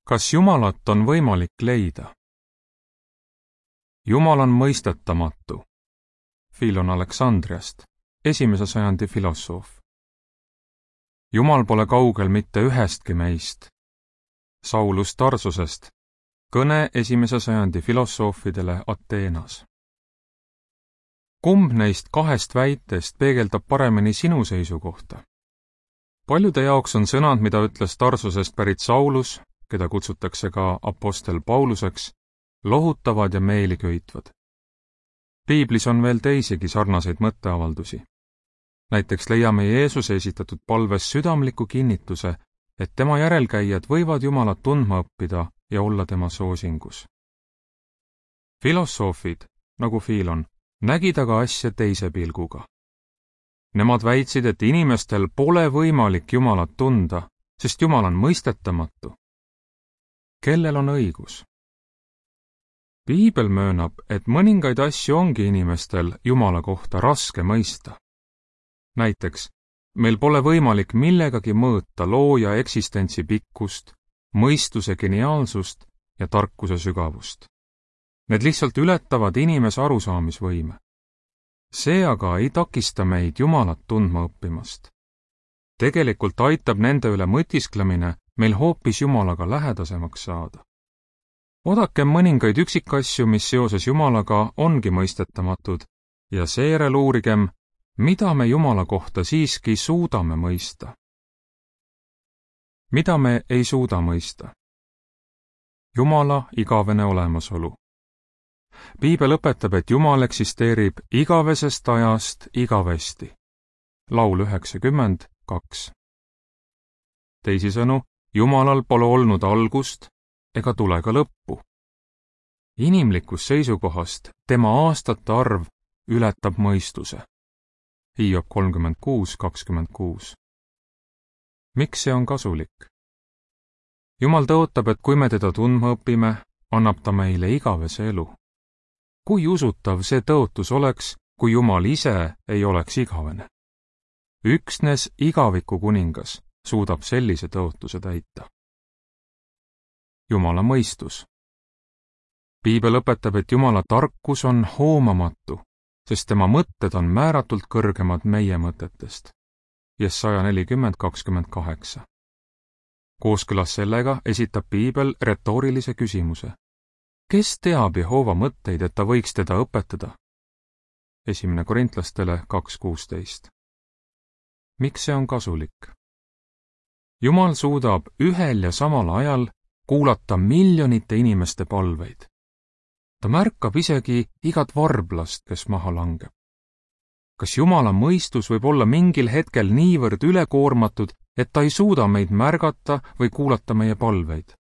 Kas Jumalat on võimalik leida? Jumal on mõistetamatu. Philon Aleksandriast, 1. sajandi filosoof. Jumal pole kaugel mitte ühestki meist. Saulus Tarsusest, kõne 1. sajandi filosoofidele Ateenas. Kumb neist kahest väitest peegeldab paremini sinu seisukohta? Paljude jaoks on sõnad, mida ütles Tarsusest pärit Saulus, keda kutsutakse ka apostel Pauluseks, lohutavad ja meeli köitvad. Piiblis on veel teisigi sarnaseid mõtteavaldusi. Näiteks leiame Jeesuse esitatud palves südamliku kinnituse, et tema järelkäijad võivad Jumalat tundma õppida ja olla tema soosingus. Filosoofid, nagu Philon, nägid aga asja teise pilguga. Nemad väitsid, et inimestel pole võimalik Jumalat tunda, sest Jumal on mõistetamatu. Kellel on õigus? Piibel möönab, et mõningaid asju ongi inimestel Jumala kohta raske mõista. Näiteks, meil pole võimalik millegagi mõõta looja eksistentsi pikkust, mõistuse geniaalsust ja tarkuse sügavust. Need lihtsalt ületavad inimese arusaamisvõime. See aga ei takista meid Jumalat tundma õppimast. Tegelikult aitab nende üle mõtisklemine meil hoopis Jumalaga lähedasemaks saada. Odakem mõningaid üksikasju, mis seoses Jumalaga ongi mõistetamatud, ja seejärel uurigem, mida me Jumala kohta siiski suudame mõista. Mida me ei suuda mõista? Jumala igavene olemasolu. Piibel õpetab, et Jumal eksisteerib igavesest ajast igavesti. Laul 92. Teisisõnu, Jumalal pole olnud algust ega tule ka lõppu. Inimlikust seisukohast tema aastate arv ületab mõistuse. Hiob 36:26. Miks see on kasulik? Jumal tõotab, et kui me teda tundma õpime, annab ta meile igavese elu. Kui usutav see tõotus oleks, kui Jumal ise ei oleks igavene? Üksnes igaviku kuningas suudab sellise tõotuse täita. Jumala mõistus. Piibel õpetab, et Jumala tarkus on hoomamatu, sest tema mõtted on määratult kõrgemad meie mõtetest. Jesaja 40:28. Kooskõlas sellega esitab Piibel retoorilise küsimuse. Kes teab Jehova mõtteid, et ta võiks teda õpetada? 1. Korintlastele 2:16. Miks see on kasulik? Jumal suudab ühel ja samal ajal kuulata miljonite inimeste palveid. Ta märkab isegi igat varblast, kes maha langeb. Kas Jumala mõistus võib olla mingil hetkel niivõrd ülekoormatud, et ta ei suuda meid märgata või kuulata meie palveid?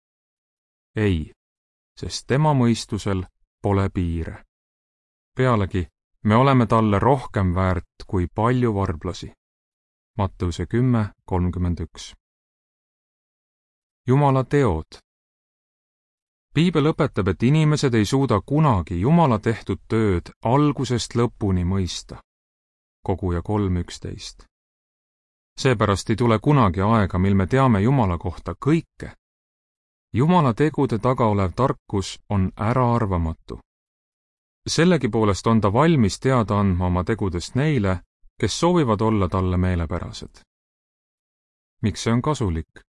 Ei, sest tema mõistusel pole piire. Pealegi, me oleme talle rohkem väärt kui palju varblasi. Matteuse 10:31. Jumala teod. Piibel õpetab, et inimesed ei suuda kunagi Jumala tehtud tööd algusest lõpuni mõista. Koguja 3:11. Seepärast ei tule kunagi aega, mil me teame Jumala kohta kõike. Jumala tegude taga olev tarkus on äraarvamatu. Sellegipoolest on ta valmis teada andma oma tegudest neile, kes soovivad olla talle meelepärased. Miks see on kasulik?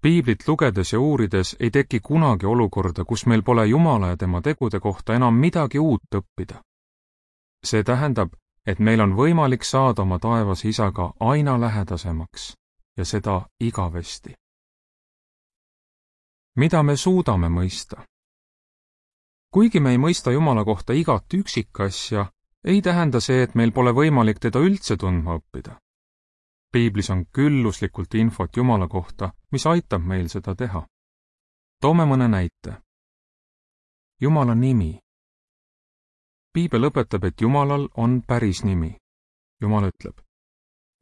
Piiblit lugedes ja uurides ei teki kunagi olukorda, kus meil pole Jumala ja tema tegude kohta enam midagi uut õppida. See tähendab, et meil on võimalik saada oma taevas isaga aina lähedasemaks ja seda igavesti. Mida me suudame mõista? Kuigi me ei mõista Jumala kohta igat üksikasja, ei tähenda see, et meil pole võimalik teda üldse tundma õppida. Piiblis on külluslikult infot Jumala kohta, mis aitab meil seda teha. Toome mõne näite. Jumala nimi. Piibel õpetab, et Jumalal on päris nimi. Jumal ütleb,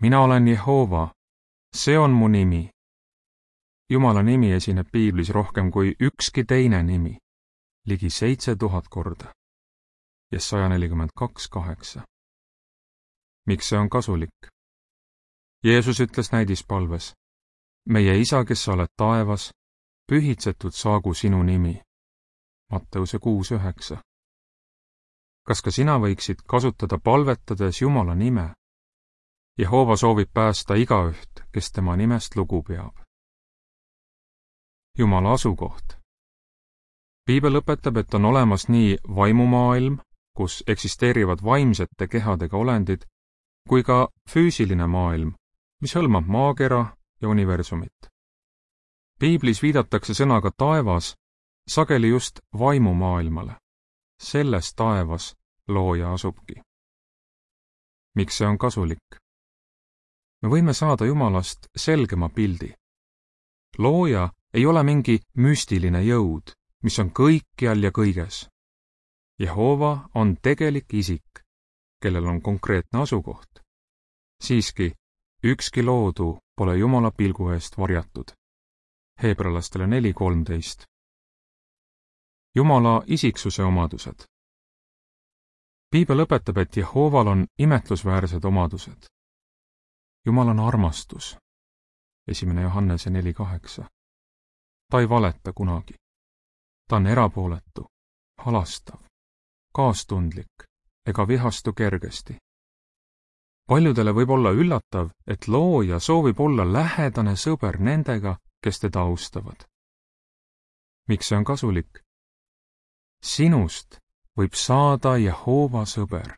mina olen Jehova, see on mu nimi. Jumala nimi esineb Piiblis rohkem kui ükski teine nimi, ligi 7000 korda. Jesaja 42:8. Miks see on kasulik? Jeesus ütles näidispalves, meie isa, kes sa oled taevas, pühitsetud saagu sinu nimi. Matteuse 6:9. Kas ka sina võiksid kasutada palvetades Jumala nime? Jehova soovib päästa igaüht, kes tema nimest lugu peab. Jumala asukoht. Piibel õpetab, et on olemas nii vaimumaailm, kus eksisteerivad vaimsete kehadega olendid, kui ka füüsiline maailm, mis hõlmab maakera ja universumit. Piiblis viidatakse sõnaga taevas sageli just vaimumaailmale. Selles taevas looja asubki. Miks see on kasulik? Me võime saada Jumalast selgema pildi. Looja ei ole mingi müstiline jõud, mis on kõikjal ja kõiges. Jehova on tegelik isik, kellel on konkreetne asukoht. Siiski, ükski loodu pole Jumala pilgu eest varjatud. Heebrealastele 4:13. Jumala isiksuse omadused. Piibel õpetab, et Jehoval on imetlusväärsed omadused. Jumal on armastus. 1. Johannese 4:8. Ta ei valeta kunagi. Ta on erapooletu, halastav, kaastundlik ega vihastu kergesti. Paljudele võib olla üllatav, et looja soovib olla lähedane sõber nendega, kes teda austavad. Miks see on kasulik? Sinust võib saada Jehova sõber.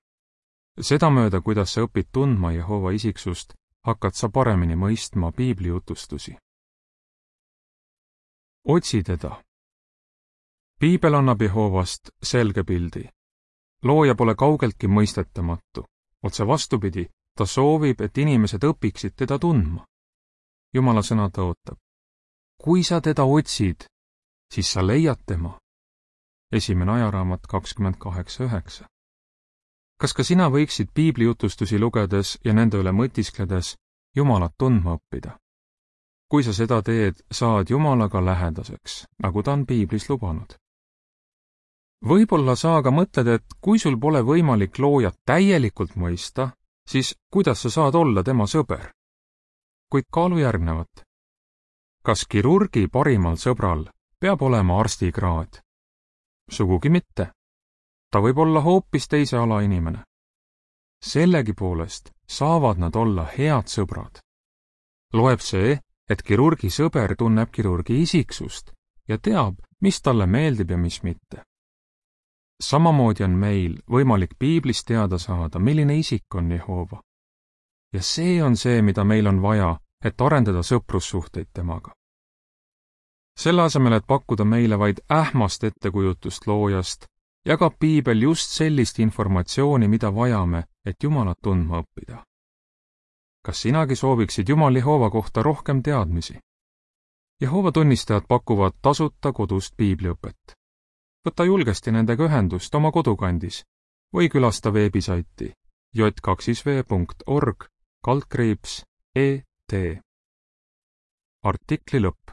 Sedamööda, kuidas sa õpid tundma Jehova isiksust, hakkad sa paremini mõistma piibli jutustusi. Otsi teda. Piibel annab Jehovast selge pildi. Looja pole kaugeltki mõistetamatu. Otse vastupidi, ta soovib, et inimesed õpiksid teda tundma. Jumala sõna tõotab. Kui sa teda otsid, siis sa leiad tema. 1. Ajaraamat 28:9. Kas ka sina võiksid piibli jutustusi lugedes ja nende üle mõtiskledes Jumalat tundma õppida? Kui sa seda teed, saad Jumalaga lähedaseks, nagu ta on piiblis lubanud. Võib-olla sa aga mõtled, et kui sul pole võimalik loojat täielikult mõista, siis kuidas sa saad olla tema sõber? Kuid kaalu järgnevat. Kas kirurgi parimal sõbral peab olema arstikraad? Sugugi mitte. Ta võib olla hoopis teise ala inimene. Sellegipoolest saavad nad olla head sõbrad. Loeb see, et kirurgi sõber tunneb kirurgi isiksust ja teab, mis talle meeldib ja mis mitte. Samamoodi on meil võimalik piiblist teada saada, milline isik on Jehova. Ja see on see, mida meil on vaja, et arendada sõprussuhteid temaga. Selle asemel, et pakkuda meile vaid ähmast ettekujutust loojast, jagab piibel just sellist informatsiooni, mida vajame, et Jumalat tundma õppida. Kas sinagi sooviksid Jumal Jehova kohta rohkem teadmisi? Jehova tunnistajad pakuvad tasuta kodust piibliõpet. Võta julgesti nendega ühendust oma kodukandis või külasta veebisaiti j2v.org/et. Artikli lõpp.